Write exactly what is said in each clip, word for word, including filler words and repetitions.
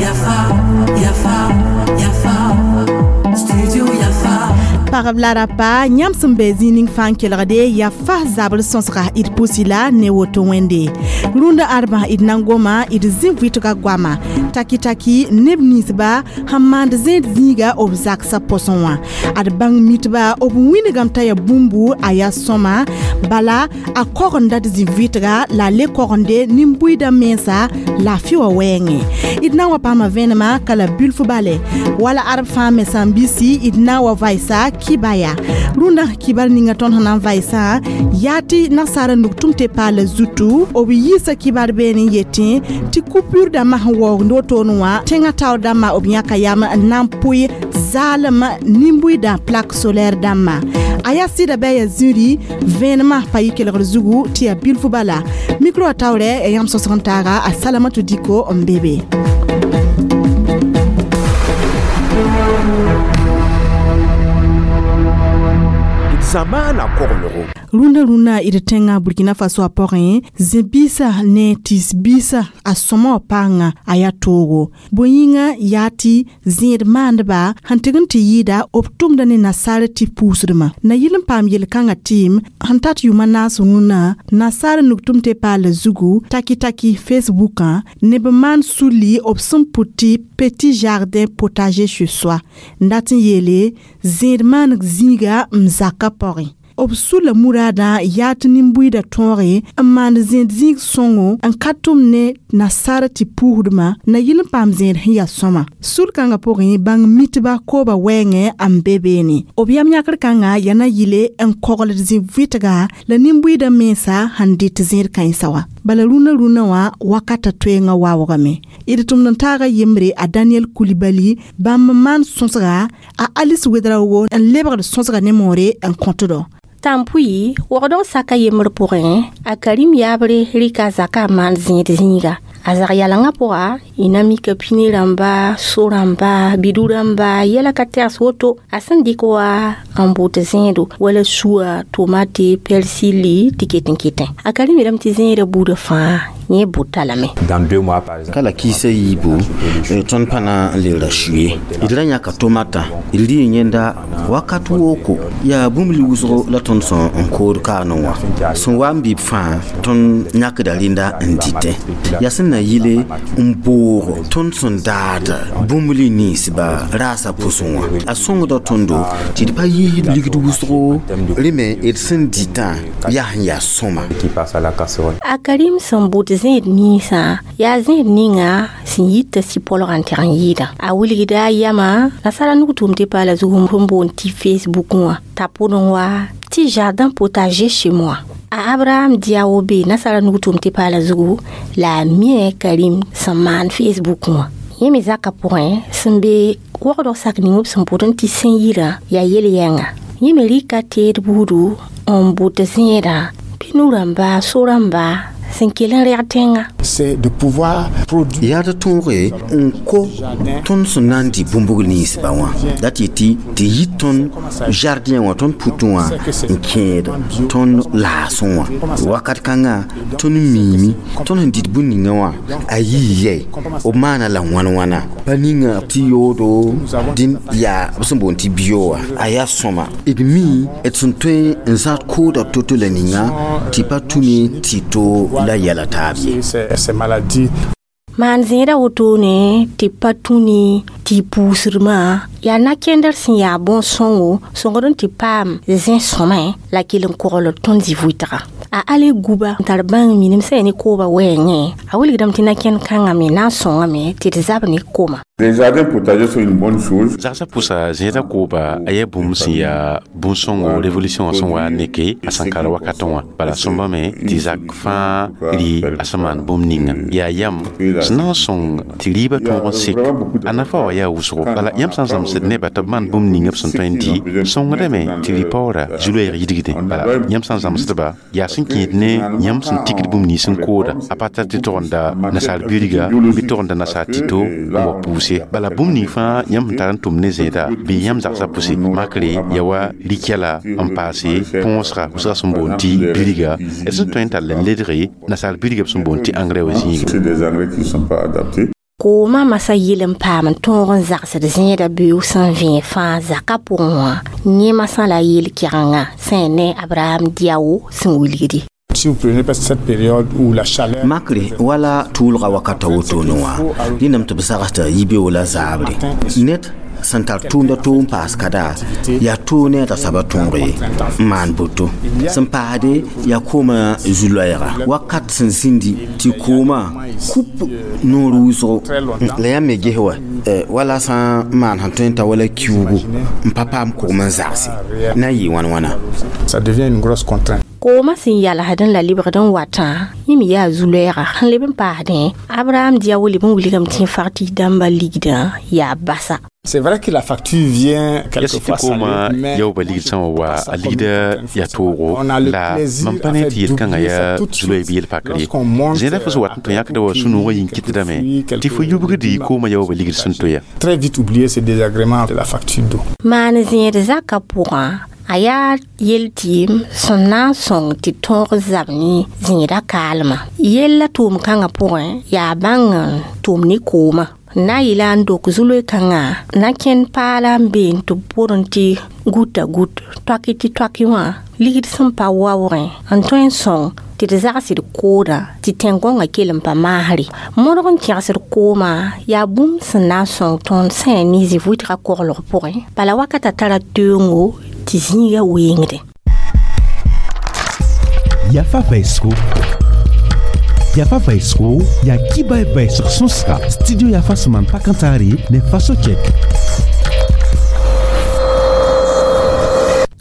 Yafa, Yafa, Yafa, Studio Yafa. Pagb la rapa yãmb sẽn be zĩig ning fãa n kelgde yaa fas zabr sõsga d pʋsi la ne woto wẽnde rũndã ãdbã d na n goma d zĩ vɩtga goama taki-taki neb ninsba sẽn maand zẽed zĩiga b zagsã pʋsẽ wã ad bãng mitba b wĩnigame t'a yaa bũmbu a yaa sõma bala a kogenda d zĩ vɩtga la a le kogende nin-buiidã mensa laafɩ wã wɛɛngẽ d na n wa paama vẽnema ka la bilf bale wala arb fãa me sãn bisi d na n wa vaɩsa kibaya rũndã kibar ninga tõnd sẽn na n vaɩsã yaa tɩ nasaara nug tʋm tɩ paala zutu b yiisa kibar beene n yetẽ tɩ coupure dãmbã sẽn waoogd wotone wã tẽngã taoor dãmbã b yãka yam n na n pʋɩ zaalem nin-buiidã plaque solaire dãmbã a yaa sɩda bɩ a yaa zĩri vẽenemã pa yɩ kelgr zugu tɩ yaa bilf bala micro wã taoorɛ yãmb sõsg n taaga a Salamatu Diko n be be. Zamaana koglgo. Rũndã rũndã d tẽngã Burkina Faso a pʋgẽ zẽ-biisã ne tɩs-biisã a sõma wã paanga a yaa toogo bõe yĩnga yaa tɩ zẽed maandba sẽn tɩg n tɩ yɩɩda b tʋmda ne nasaar tɩ puusdmã na yɩl n paam yel-kãngã tɩɩm sẽn tat yʋʋma naas rũnnã nasaar nug tʋm tɩ paala zugu taki-taki Facebookã neb n maan sulli b sẽn pʋt tɩ petit jardin potager chez soi n dat n yeele zẽed maaneg zĩiga n zakã pʋgẽ b sula muraadã yaa tɩ nin-buiidã tõoge n maand zẽed zĩig sõngo n ka tʋm ne nasaar tɩ puusdmã na yɩl n paam zẽed sẽn yaa sõma sul-kãngã pʋgẽ bãng mitba kooba wɛɛngẽ n be beene b yam yãkr kãngã yaa na yɩle n kogld zĩ-vɩtga la nin-buiidã mensa sẽn dɩt zẽed kãensã wã bala rũnã rũnã wã wakatã toeengã waoogame d tʋmd n taaga yembre a Daniel Kulibali bãmb n maan sõsga a Alice Wedraogo n lebgd sõsga ne moore n kõtdɔ. Tãn-pʋɩ wagdg saka yembr pʋgẽ a Karim yaabre rɩka zaka n maan zẽed zĩiga a zag yalengã pʋga y na mika pini rãmba so rãmba bidu rãmba yɛla ka tɛgs woto a sẽn dɩk wa n bʋt zẽedo wala suwa tomate persili tɩ ket n ketẽ a Karim yeelame tɩ zẽedã buudã fãa yẽ bʋta lame. Dans deux mois par exemple. Kala kiisa yiibu tõnd pa na n le ra sʋye d ra yãka tomata d rɩ yẽnda wakat wooko yaa bũmb li wʋsgo la tõnd sẽn n kood kaanẽ wã sẽn wa n bɩ b fãa tõnd yãkda rẽnda n dɩtẽ yaa sẽn na yɩle n boog tõnd sẽn daad bũmb li ninsba raasã pʋsẽ wã a sõngda tõndo tɩ d pa yiisd ligd wʋsgo rẽ me d sẽn dɩtã yaa sẽn yaa sõma. Qui passe à la casserole. A Karim sẽn bʋt zẽed ninsã yaa zẽed ninga sẽn yita sɩ-polgã n tɛg n yɩɩda a wilgda a yamã nasaara nug tʋʋm tɩ paala zug sẽn boond tɩ Facebook wã t'a pʋdẽ wa tɩ jardin potager chez moi a Abraham Diawo be nasaara nug tʋʋm tɩ paala zugu la a mia Karim sẽn maan Facebook wã yẽ me zakã pʋgẽ sẽn be wagdg sak ning b sẽn pʋd n tɩ sẽn yirã yaa yel-yɛnga yẽ me rɩka teed buudu n bʋt zẽedã pinu rãmba so rãmba sẽn kell n rɛg tẽngã. C'est de pouvoir produire. Yaa d tõoge n ko tõnd sẽn na n dɩ bũmbg ninsba wã la tɩ tɩ tɩ yit tõnd jardin wã tõnd putẽ wã n kẽed tõnd laasẽ wã wakat kãngã tõnd miime tõnd sẽn dɩt bũmb ninga wã a yii yɛi b maana la wãn-wãna pa ninga tɩ yoodo dĩn yaa b sẽn boond tɩ bio wã a yaa sõma d mi d sẽn tõe n zãad kooda to-to la ninga tɩ pa tũ ne tɩ to la yɛla taab ye. Ces maladies. Maan zẽedã wotone tɩ pa tũ ne tɩ puusdmã yaa na-kẽndr sẽn yaa bõn-sõngo sõngd n tɩ paam zẽ-sõmẽ la kell n kogl tõnd zĩ-vʋɩtga a ale guba n tar bãng minim sẽn yaa ne kooba wɛɛngẽ a wilgdame tɩ na-kẽnd kãngã me na n sõngame tɩ d zab ne koma. Les jardins potagers sont une bonne chose. Zagsã pʋsa zẽedã kooba a yaa bũmb sẽn yaa bũn-sõngo révolution wã sẽn wa n neke a sẽn kar wakatẽ wã bala sõmbame tɩ zak fãa rɩ a sẽn maan bũmb ninga yaa yam sẽn na n sõng tɩ rɩɩbã tõog n sek a nafa wã yaa wʋsgo bala yãmb sã n zãmsd nebã tɩ b maan bũmb ninga b sẽn tõe n dɩ sõngdame tɩ rɩ-paoora zu-loɛɛg yidgdẽ bala yãmb sã n zãmsdba yaa sẽn kẽed ne yãmb sẽn tikd bũmb nins n kooda a pa tar tɩ togenda nasaar birga bɩ togenda nasaar tito n wa puuse. pʋse bala bũmb ning fãa yãmb sẽn tar n tʋm ne zẽeda bɩ yãmb zagsã pʋse makre ya wa rɩkɛla n paase põosga wʋsga sẽn boond tɩ bilga d sẽn tõe n tall n ledge nasaar bilga b sẽn boond tɩ engrais wã zĩiga. C'est des engrais qui ne sont pas adaptés. Koomã masã yel n paam n tõog n zagsd zẽedã beoog sẽn vẽeg fãa zakã pʋgẽ wã yẽ masã la yel-kɛgenga sẽn ne Abraham Diawo sẽn wilgdi. Si vous prenez cette période où la chaleur makre wala tʋʋlga wakata wotone wã rẽndame tɩ b sagsda yibeoog la zaabre ned sẽn tar tʋʋmda toog n paas kada yaa toog ne a dasaba tõog ye n maan boto sẽn paasde yaa koomã zu-loɛɛga wakat sẽn zĩndi tɩ koomã kup noor wʋsgo la yãmb me ges wa wala sã n maan sẽn tõe n ta wala kiuugu n pa paam kogem n zagse na n yɩ wãn wãna. Ça devient une grosse contrainte. Koomã sẽn yalsd n la lebgd n watã yẽ me yaa zu-loɛɛga sẽn leb n paasdẽ Abraham Diawo leb n wilgame tɩ fag tɩ dãmbã ligdã yaa basa. C'est vrai que la facture vient quelquefois koomã salée, mais yaooba ligd sã wã wa a ligda yaa toogo on a le la plaisir mam pa à ne faire tɩ yel-kãngã d'oublier yaa ça tout de zu-loɛɛb suite. yel-pakr ye Lorsqu'on monte zẽeda fo sẽn wat n tõ yãkda wa sũ-noogã yĩn-kɩtdame tɩ fo yubgd koomã yaooba ligd sẽn toya. Très vite oublier ce désagrément de la facture d'eau. Maan zẽed zakã pʋgã a yaa yel-tɩɩm sẽn na n sõng tɩ tõog zab ne zẽedã kaalmã yella tʋʋm-kãngã pʋgẽ yaa bãng n tʋm ne koomã na n yeela n dok zu-loe-kãngã na kẽnd paala n be n tɩ b pʋrẽ tɩ guta gut toaki tɩ toaki wã ligd sẽn pa waoogẽ n tõe n sõng tɩ d zagsd koodã tɩ tẽn-gõngã kell n pa maasre modg n kẽgsd koomã yaa bũmb sẽn na n sõng tõnd sã ne zĩ-vʋɩtgã koglg pʋgẽ bala wakatã tara teoongo tɩ zĩigã wengdẽ. Yafa vɛɛsgo Yafa vɛɛsgo yaa kiba vɛɛsg sõsga studio Yafa sẽn maan pak n taare ne Faso Check.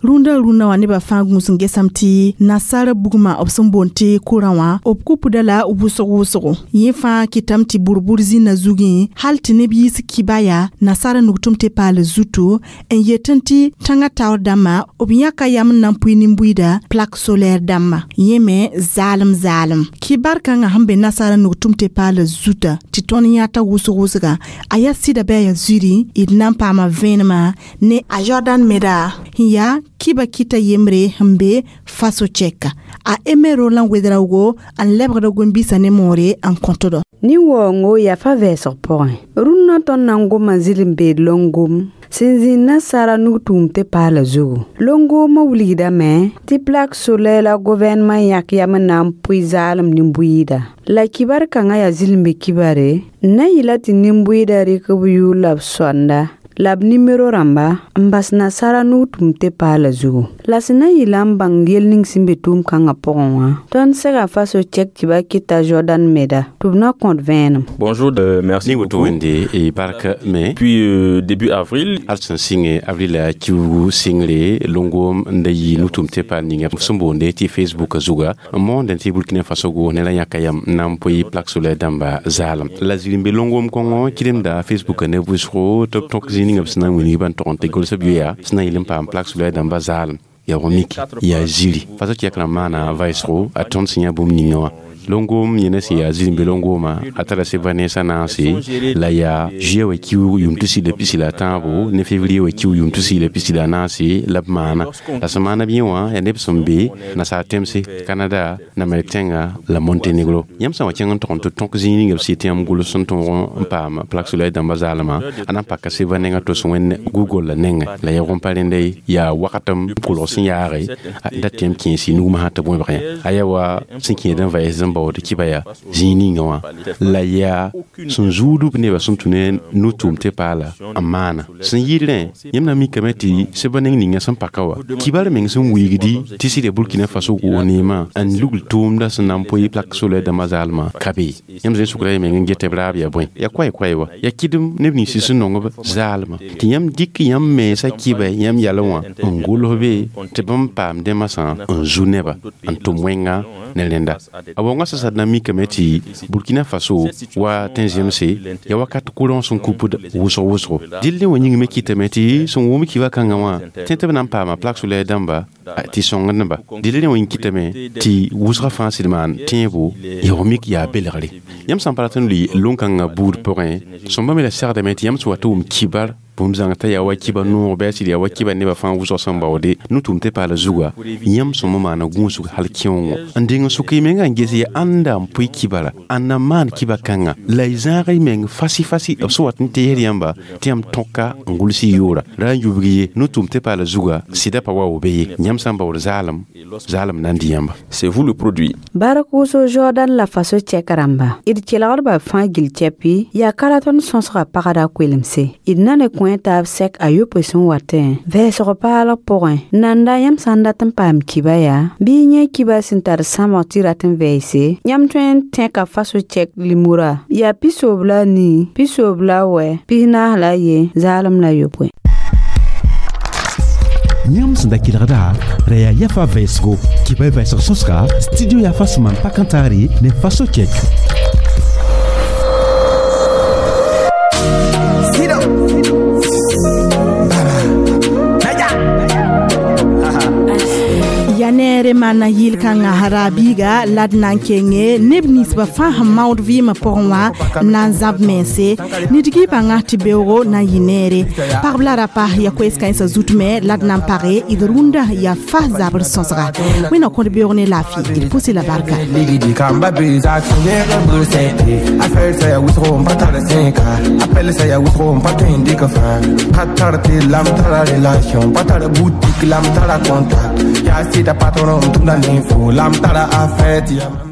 Rũndã rũndã wã nebã fãa gũus n gesame tɩ nasaara bugmã b sẽn boond tɩ kʋrã wã b kupda la wʋsg wʋsgo yẽ fãa kɩtame tɩ bʋr-bʋr zĩnã zugẽ hal tɩ neb yiis kiba yaa nasaara nugtʋm tɩ paal zuto n yetẽ tɩ tãngã taoor dãmbã b yãka yam n na n pʋɩ nin-buiida plaque solaire dãmbã yẽ me zaalem zaalem kibar kãngã sẽn be nasaara nugtʋm tɩ paal zuta tɩ tõnd yãta wʋsg wʋsga a yaa sɩda bɩ a yaa zuri d na n paama vẽenemã ne a Jordan Meda sẽn yaa kiba kita yembre sẽn be Faso Chɛka a Eme Roland Wedraogo n lebgda gom-biisã ne moore n kõtdo. Nin-waoongo yafa vɛɛsg pʋgẽ rũnnã tõnd na n goma zɩl n beed longom sẽn zĩnd nasaara nug-tʋʋm tɩ paala zugu longoomã wilgdame tɩ plaque solaire la gouvernement yãk yam n na n pʋɩ zaalem nin-buiida la kibar kãngã yaa zɩl-n-be kibare n na n yɩla tɩ nin-buiidã rɩk b yʋʋr la b sõanda la b nimero rãmba n bas nasaara nug-tʋʋm tɩ paala zugu la sẽn na n yɩla n bãng yel ning sẽn be tʋʋm-kãngã pʋgẽ wã tõnd sega Faso Chɛk tɩ ba kɩta Jordan Meda tɩ b na kõt vẽenem. Bonjour, euh, merci ne woto beaucoup. wẽnde e bark me. Puis euh, début avril, hal sẽn sɩnge avril kiugu sɩngre longom n da yɩ nugtʋʋm tɩ paal ninga sẽn boonde tɩ Facebook zuga n moondẽ tɩ Burkina Faso go ne la yãka yam n na n pʋɩ plaque solaire dãmba zaalem la zir n be longom kõngo kɩdemda Facebook ne vʋsgo tɩ b tõk zĩig ninga b sẽn na n wilg ban tog n tɩ gʋls b yoya sẽn na yɩl n paam plaque solaire dãmba zaalem yaa miki yaa ziri Faso Chɛk rãmb maana vaɩsgo a tõnd sẽn yã bũmb ninga wã longom yẽne sẽn yaa zir n be longoomã a tara seba nensã naase la yaa juillet wa kiuug yʋʋm tusi la pisi la a tãabo ne février wa kiuug yʋʋm tusi la pisi la a naase la b maana la sẽn maana b yẽ wã yaa neb sẽn be nasaar tẽmse Canada Namɛrk tẽnga la Monténégro yãmb sã n wa kẽng n tog n tɩ tõk zĩig ninga b sɩ tɩ yãmb gʋls sẽn tõog n paam plaque solaire dãmbã zaalmã a na n paka seba nengã tos wẽnd Google la nengẽ la yaa pa rẽnda yaa wakatem kolg sẽn yaage da tɩ yãmb kẽes y nugmã tɩ bõebg yã a yaa wa sẽn kẽed n vaɩs n baood kiba yaa zĩig ninga wã la yaa sẽn zuudb nebã sẽn tũ ne nu-tʋʋm tɩ paala n maana sẽn yɩɩd rẽ yãmb na mikame tɩ seba neng ninga sẽn paka wa kibar meng sẽn wilgdi tɩ sɩd ya Burkina Faso gʋʋs neemã n lugl tʋʋmda sẽn na n pʋɩ plaque solaire dãmbã zaalmã ka be yãmb zẽ sʋkra y meng n get b raab yaa bõe yaa koɛ-koɛ wa yaa kɩdem neb nins sẽn nong b zaalmã tɩ yãmb dɩk yãmb mensã kɩba yãmb yalẽ wã n gʋls be tɩ bãmb paam dẽmã sã n zu neba n tʋm wẽnga ne rẽnda a wonga Rasã na mikame tɩ Burkina Faso wa tẽn-zemse ya wakat kʋrẽ sẽn kupd wʋsg wʋsgo. Dɩl wã yĩng me kɩtame tɩ sẽn wʋm kiba kãngã wã tẽ tɩ b na n paama plaque solaire dãmba tɩ sõngdba. Dɩl wã yĩng kɩtame tɩ wʋsgã fãa sɩd maan tẽebo yaoog mik yaa belgre. Yãmb sã n pa rat n lʋɩ lon-kãngã buud pʋgẽ, sõmba me la segdame tɩ yãmb sẽn wa tɩ wʋm kibar bũmb zãng t'a yaa wa kiba noog bɩ a sɩd yaa wa kiba nebã fãa wʋsg sẽn baoode no-tʋʋm tɩ paala zuga, yãmb sõma maana gũusg hal kẽoongõ n deng n sʋk y menga n ges ya ãnda n pʋɩ kibara, ãnda n maan kiba kãnga la y zãag y meng fasi fasi b sẽn wat n teesd yãmba tɩ yãmb tõka n gʋls y yʋʋra ra n yubg ye no-tʋʋm tɩ paala zuga sɩda pa wa be ye. Yãmb sã n baood zaalem, zaalem na n dɩ yãmba. C'est vous le produit. Bark wʋsg Jordan la Faso tɛk rãmba d kelgdba fãa gil tɛpi yaa ka ra tõnd sõsga pagda koelemse d na ne kõ taab sɛk a yopoe sẽn watẽ vɛɛsg paalg pʋgẽ. Nanda yãmb sã n dat n paam kiba yaa bɩ y yẽ kiba sẽn tar sãmg tɩ rat n vɛɛse, yãmb tõe n tẽka Faso tɛk limura yaa pisoob la a nii, pisoob la a wɛ, pis-naas la a ye, zaalem la yopoe. Yãmb sẽn da kelgda ra yaa Yafa vɛɛsgo kɩba y vɛɛsg sõsga studio Yafa sẽn maan pak n taare ne Faso tɛk. Ya neere maana yɩl-kãngã raabiiga la d na n kenge neb ninsbã fãa sẽn maood vɩɩmã pʋgẽ wã na n zãb mense nidg y bãnga tɩ beoogo na n yɩ neere. Pagb la rapa ya koees-kãensã zut me la d na n page d rũndã yaa fa zabr sõsga. Wẽnna kõd beoog ne laafɩ d pʋsɩ la barka. Patron, lam tara affaire.